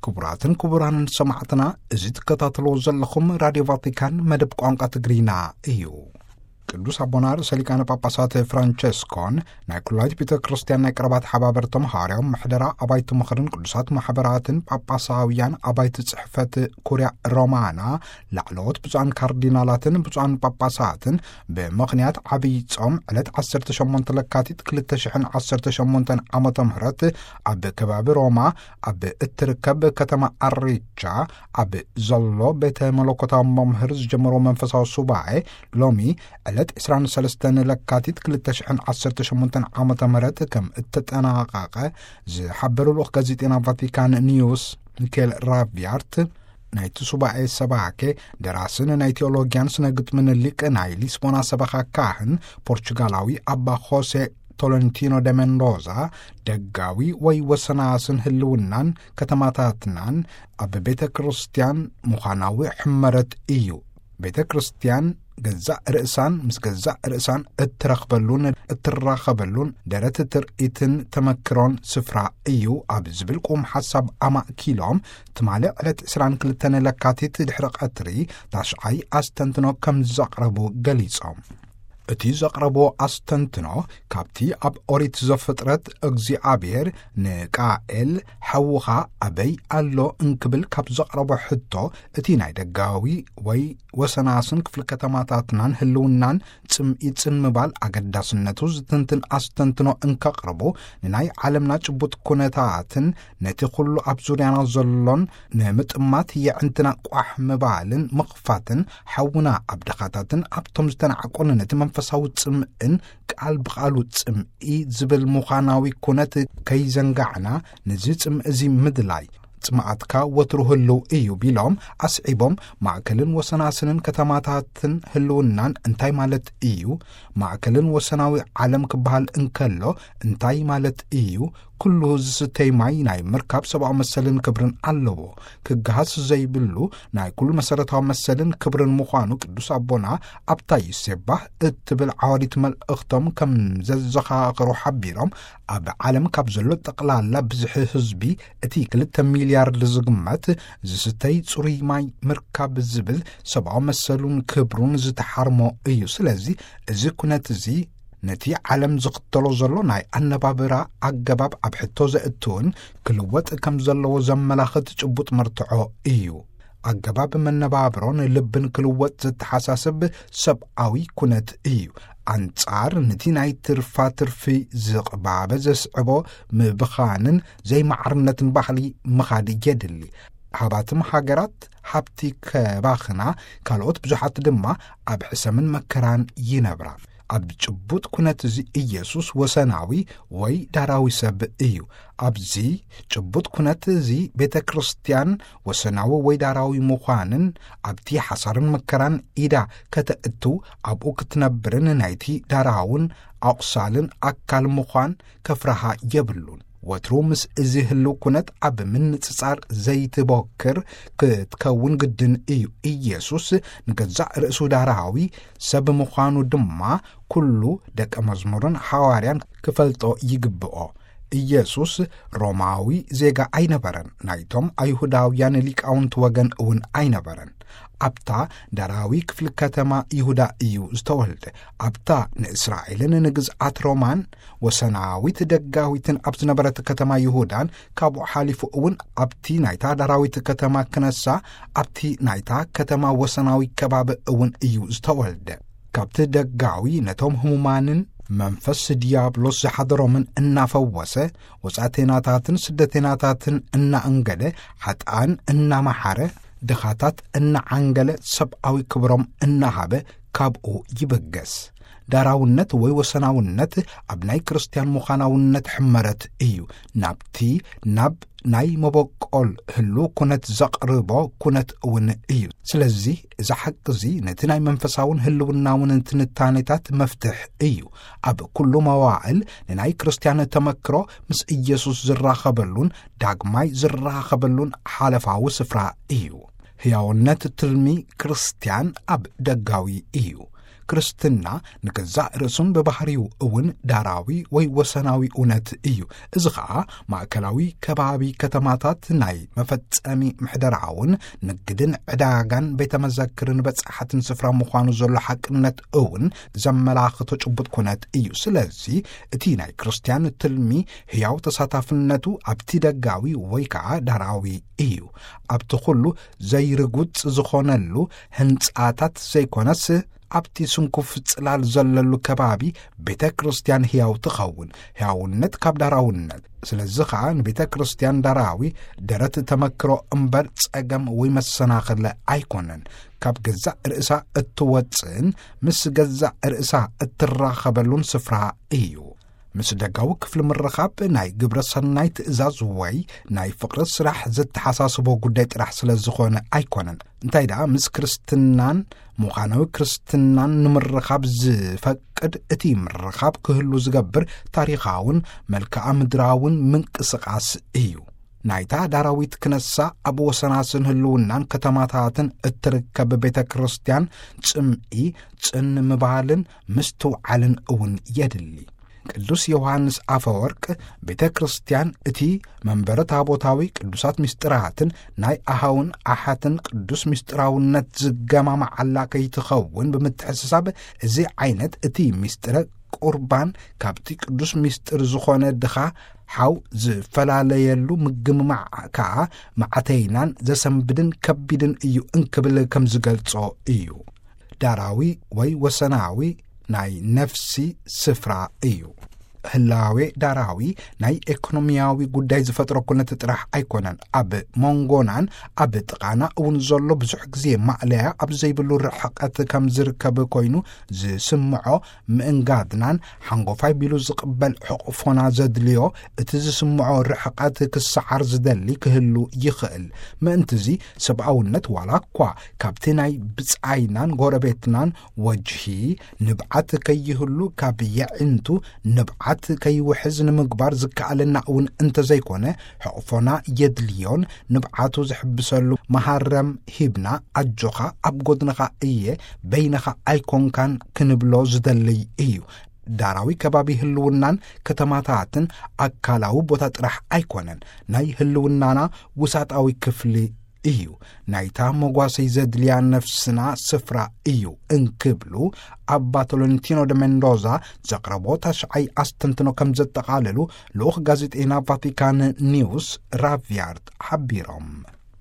ክቡራትን ክቡራንን ሰማዕትና፣ እዚ ትከታተልዎ ዘለኹም ራድዮ ቫቲካን መደብ ቋንቋ ትግርኛ እዩ። ቅዱስ ኣቦና ርእሰ ሊቃነ ጳጳሳት ፍራንቸስኮን ናይ ኩላይት ቤተ ክርስቲያን ናይ ቀረባት ሓባበርቶም ሃዋርያዊ ምሕደራ ኣባይቲ ምኽርን ቅዱሳት ማሕበራትን ጳጳሳውያን ኣባይቲ ጽሕፈት ኩርያ ሮማና ላዕለዎት ብፁዓን ካርዲናላትን ብፁዓን ጳጳሳትን ብምኽንያት ዓብይ ጾም ዕለት ዓሰርተ ሸሞንተ ለካቲት ክልተ ሽሕን ዓሰርተ ሸሞንተን ዓመተ ምህረት ኣብ ከባቢ ሮማ ኣብ እትርከብ ከተማ ኣሬቻ ኣብ ዘሎ ቤተ መለኮታዊ መምህር ዝጀመሮ መንፈሳዊ ሱባኤ ሎሚ ዕለት ዕስራን ሰለስተን ለካቲት ክልተ ሽሕን ዓሰርተ ሸሞንተን ዓመተ ምህረት ከም እተጠናቐቐ ዝሓበሩ ልኡኽ ጋዜጤና ቫቲካን ኒውስ ሚኬል ራቪያርት፣ ናይቲ ሱባኤ ሰባኬ ደራስን ናይ ቴዎሎጊያን ስነ ግጥምን ሊቅ ናይ ሊስቦና ሰበኻ ካህን ፖርቹጋላዊ ኣባ ሆሴ ቶለንቲኖ ደ ሜንዶዛ፣ ደጋዊ ወይ ወሰናስን ህልውናን ከተማታትናን ኣብ ቤተ ክርስቲያን ምዃናዊ ሕመረት እዩ። ቤተ ክርስቲያን ገዛእ ርእሳን ምስ ገዛእ ርእሳን እትረኽበሉን እትራኸበሉን ደረት ትርኢትን ተመክሮን ስፍራ እዩ ኣብ ዝብል ቁም ሓሳብ ኣማእኪሎም፣ ትማሊ ዕለት ዕስራን ክልተን ለካቲት ድሕሪ ቀትሪ ታሽዓይ ኣስተንትኖ ከም ዘቕረቡ ገሊጾም። እቲ ዘቕረቦ ኣስተንትኖ፣ ካብቲ ኣብ ኦሪት ዘፍጥረት እግዚኣብሔር ንቃኤል፣ "ሓውኻ ኣበይ ኣሎ?" እንክብል ካብ ዘቕረቦ ሕቶ፣ እቲ ናይ ደጋዊ ወይ ወሰናስን ክፍሊ ከተማታትናን ህልውናን ጽምኢ ጽን ምባል ኣገዳስነቱ ዝትንትን ኣስተንትኖ እንከቕርቡ፣ ንናይ ዓለምና ጭቡጥ ኩነታትን ነቲ ኩሉ ኣብ ዙርያና ዘሎን ንምጥማት የዕንትና ቋሕ ምባልን ምኽፋትን፣ ሓውና ኣብ ድኻታትን ኣብቶም ዝተናዕቁን ነቲ መንፈሳዊ ጽምእን ቃል ብቓሉ ጽምኢ ዝብል ምዃናዊ ኩነት ከይዘንጋዕና፣ ነዚ ጽምእ እዚ ምድላይ፣ ጽምኣትካ ወትሩ ህልው እዩ ቢሎም ኣስዒቦም፣ ማእከልን ወሰናስንን ከተማታትን ህልውናን እንታይ ማለት እዩ? ማእከልን ወሰናዊ ዓለም ክበሃል እንከሎ እንታይ ማለት እዩ? ኩሉ ዝስተይ ማይ ናይ ምርካብ ሰብኣዊ መሰልን ክብርን ኣለዎ። ክገሃስ ዘይብሉ ናይ ኩሉ መሰረታዊ መሰልን ክብርን ምዃኑ ቅዱስ ኣቦና ኣብታ ይሴባህ እትብል ዓዋዲት መልእኽቶም ከም ዘዘኻኸሩ ሓቢሮም፣ ኣብ ዓለም ካብ ዘሎ ጠቕላላ ብዝሒ ህዝቢ እቲ ክልተ ሚልያርድ ዝግመት ዝስተይ ጽሩይ ማይ ምርካብ ዝብል ሰብኣዊ መሰሉን ክብሩን ዝተሓርሞ እዩ። ስለዚ እዚ ኩነት እዚ ነቲ ዓለም ዝኽተሎ ዘሎ ናይ ኣነባብራ ኣገባብ ኣብ ሕቶ ዘእትውን ክልወጥ ከም ዘለዎ ዘመላኽት ጭቡጥ መርትዖ እዩ። ኣገባብ መነባብሮን ልብን ክልወጥ ዘተሓሳስብ ሰብኣዊ ኩነት እዩ። ኣንጻር ነቲ ናይ ትርፋ ትርፊ ዝቕባበ ዘስዕቦ ምብኻንን ዘይማዕርነትን ባህሊ ምኻድ የድሊ። ሃባትም ሃገራት ሃብቲ ከባኽና፣ ካልኦት ብዙሓት ድማ ኣብ ሕሰምን መከራን ይነብራ። ኣብ ጭቡጥ ኩነት እዚ ኢየሱስ ወሰናዊ ወይ ዳራዊ ሰብ እዩ። ኣብዚ ጭቡጥ ኩነት እዚ ቤተ ክርስቲያን ወሰናዊ ወይ ዳራዊ ምዃንን ኣብቲ ሓሳርን መከራን ኢዳ ከተእቱ ኣብኡ ክትነብርን ናይቲ ዳራውን ኣቑሳልን ኣካል ምዃን ከፍርሃ የብሉን። ወትሩ ምስ እዚ ህልው ኩነት ኣብ ምንጽጻር ዘይትቦክር ክትከውን ግድን እዩ። ኢየሱስ ንገዛእ ርእሱ ዳራዊ ሰብ ምዃኑ ድማ ኩሉ ደቀ መዝሙርን ሓዋርያን ክፈልጦ ይግብኦ። ኢየሱስ ሮማዊ ዜጋ ኣይነበረን፣ ናይቶም ኣይሁዳውያን ሊቃውንቲ ወገን እውን ኣይነበረን። ኣብታ ዳራዊ ክፍሊ ከተማ ይሁዳ እዩ ዝተወልደ። ኣብታ ንእስራኤልን ንግዝኣት ሮማን ወሰናዊት ደጋዊትን ኣብ ዝነበረት ከተማ ይሁዳን፣ ካብኡ ሓሊፉ እውን ኣብቲ ናይታ ዳራዊት ከተማ ክነሳ፣ ኣብቲ ናይታ ከተማ ወሰናዊ ከባቢ እውን እዩ ዝተወልደ። ካብቲ ደጋዊ ነቶም ህሙማንን መንፈስ ዲያብሎስ ዝሓደሮምን እናፈወሰ፣ ወጻእተይናታትን ስደተይናታትን እናኣንገደ፣ ሓጥኣን እናመሓረ፣ ድኻታት እናዓንገለ፣ ሰብኣዊ ክብሮም እናሃበ ካብኡ ይብገስ። ዳራውነት ወይ ወሰናውነት ኣብ ናይ ክርስትያን ምዃናውነት ሕመረት እዩ። ናብቲ፣ ናብ ናይ መበቆል ህልው ኩነት ዘቕርቦ ኩነት እውን እዩ። ስለዚ እዚ ሓቂ እዚ ነቲ ናይ መንፈሳውን ህልውናውን ትንታኔታት መፍትሕ እዩ። ኣብ ኩሉ መዋዕል ንናይ ክርስትያን ተመክሮ ምስ ኢየሱስ ዝራኸበሉን ዳግማይ ዝራኸበሉን ሓለፋዊ ስፍራ እዩ። ህያውነት ትልሚ ክርስትያን ኣብ ደጋዊ እዩ። ክርስትና ንገዛእ ርእሱን ብባህሪው እውን ዳራዊ ወይ ወሰናዊ እውነት እዩ። እዚ ኸኣ ማእከላዊ ከባቢ ከተማታት ናይ መፈጸሚ ምሕደራውን ንግድን ዕዳጋን ቤተ መዘክርን በጻሕትን ስፍራ ምዃኑ ዘሎ ሓቅነት እውን ዘመላኽቶ ጭቡጥ ኩነት እዩ። ስለዚ እቲ ናይ ክርስትያን ትልሚ ህያው ተሳታፍነቱ ኣብቲ ደጋዊ ወይ ከዓ ዳራዊ እዩ። ኣብቲ ኩሉ ዘይርጉጽ ዝኾነሉ ህንጻታት ዘይኮነስ ኣብቲ ስንኩፍ ጽላል ዘለሉ ከባቢ ቤተ ክርስትያን ህያው ትኸውን። ህያውነት ካብ ዳራውነት። ስለዚ ኸዓ ንቤተ ክርስትያን ዳራዊ ደረት ተመክሮ እምበር ጸገም ወይ መሰናኽል ኣይኮነን። ካብ ገዛእ ርእሳ እትወጽእን ምስ ገዛእ ርእሳ እትራኸበሉን ስፍራ እዩ። ምስ ደጋዊ ክፍሊ ምርኻብ ናይ ግብረ ሰናይ ትእዛዝ ወይ ናይ ፍቕሪ ስራሕ ዘተሓሳስቦ ጉዳይ ጥራሕ ስለ ዝኾነ ኣይኮነን። እንታይ ደኣ ምስ ክርስትናን ምዃናዊ ክርስትናን ንምርኻብ ዝፈቅድ እቲ ምርኻብ ክህሉ ዝገብር ታሪኻውን መልክዓ ምድራውን ምንቅስቓስ እዩ። ናይታ ዳራዊት ክነሳ ኣብ ወሰናስን ህልውናን ከተማታትን እትርከብ ቤተ ክርስትያን ጽምኢ፣ ጽን ምባልን ምስትውዓልን እውን የድሊ። ቅዱስ ዮሃንስ ኣፈወርቅ ቤተ ክርስትያን እቲ መንበረ ታቦታዊ ቅዱሳት ምስጢራትን ናይ ኣሃውን ኣሓትን ቅዱስ ምስጢራውነት ዝገማማዓላ ከይትኸውን ብምትሕስሳብ፣ እዚ ዓይነት እቲ ምስጢረ ቁርባን ካብቲ ቅዱስ ምስጢር ዝኾነ ድኻ ሓው ዝፈላለየሉ ምግምማዕ ከኣ ማዕተይናን ዘሰንብድን ከቢድን እዩ እንክብል ከም ዝገልጾ እዩ። ዳራዊ ወይ ወሰናዊ ናይ ነፍሲ ስፍራ እዩ። ህላዌ ዳራዊ ናይ ኤኮኖሚያዊ ጉዳይ ዝፈጥሮ ኩነት ጥራሕ ኣይኮነን። ኣብ መንጎናን ኣብ ጥቓና እውን ዘሎ ብዙሕ ግዜ ማእለያ ኣብ ዘይብሉ ርሕቐት ከም ዝርከብ ኮይኑ ዝስምዖ ምእንጋድናን ሓንጎፋይ ቢሉ ዝቕበል ሕቕፎና ዘድልዮ እቲ ዝስምዖ ርሕቐት ክሰዓር ዝደሊ ክህሉ ይኽእል። ምእንትዚ ሰብኣውነት ዋላ እኳ ካብቲ ናይ ብጻይናን ጎረቤትናን ወጅሂ ንብዓት ከይህሉ ካብ የዒንቱ ንብዓት ከይውሕዝ ንምግባር ዝከኣለና እውን እንተዘይኮነ ሕቕፎና የድልዮን ንብዓቱ ዝሕብሰሉ መሃረም ሂብና ኣጆኻ ኣብ ጎድንኻ እየ በይንኻ ኣይኮንካን ክንብሎ ዝደልይ እዩ። ዳራዊ ከባቢ ህልውናን ከተማታትን ኣካላዊ ቦታ ጥራሕ ኣይኮነን፣ ናይ ህልውናና ውሳጣዊ ክፍሊ እዩ። ናይታ መጓሰይ ዘድልያ ነፍስና ስፍራ እዩ እንክብሉ ኣባ ቶሎንቲኖ ደ ሜንዶዛ ዘቕረቦ ታሽዓይ ኣስተንትኖ ከም ዘጠቓለሉ ልኡኽ ጋዜጠይና ቫቲካን ኒውስ ራቪያርድ ሓቢሮም።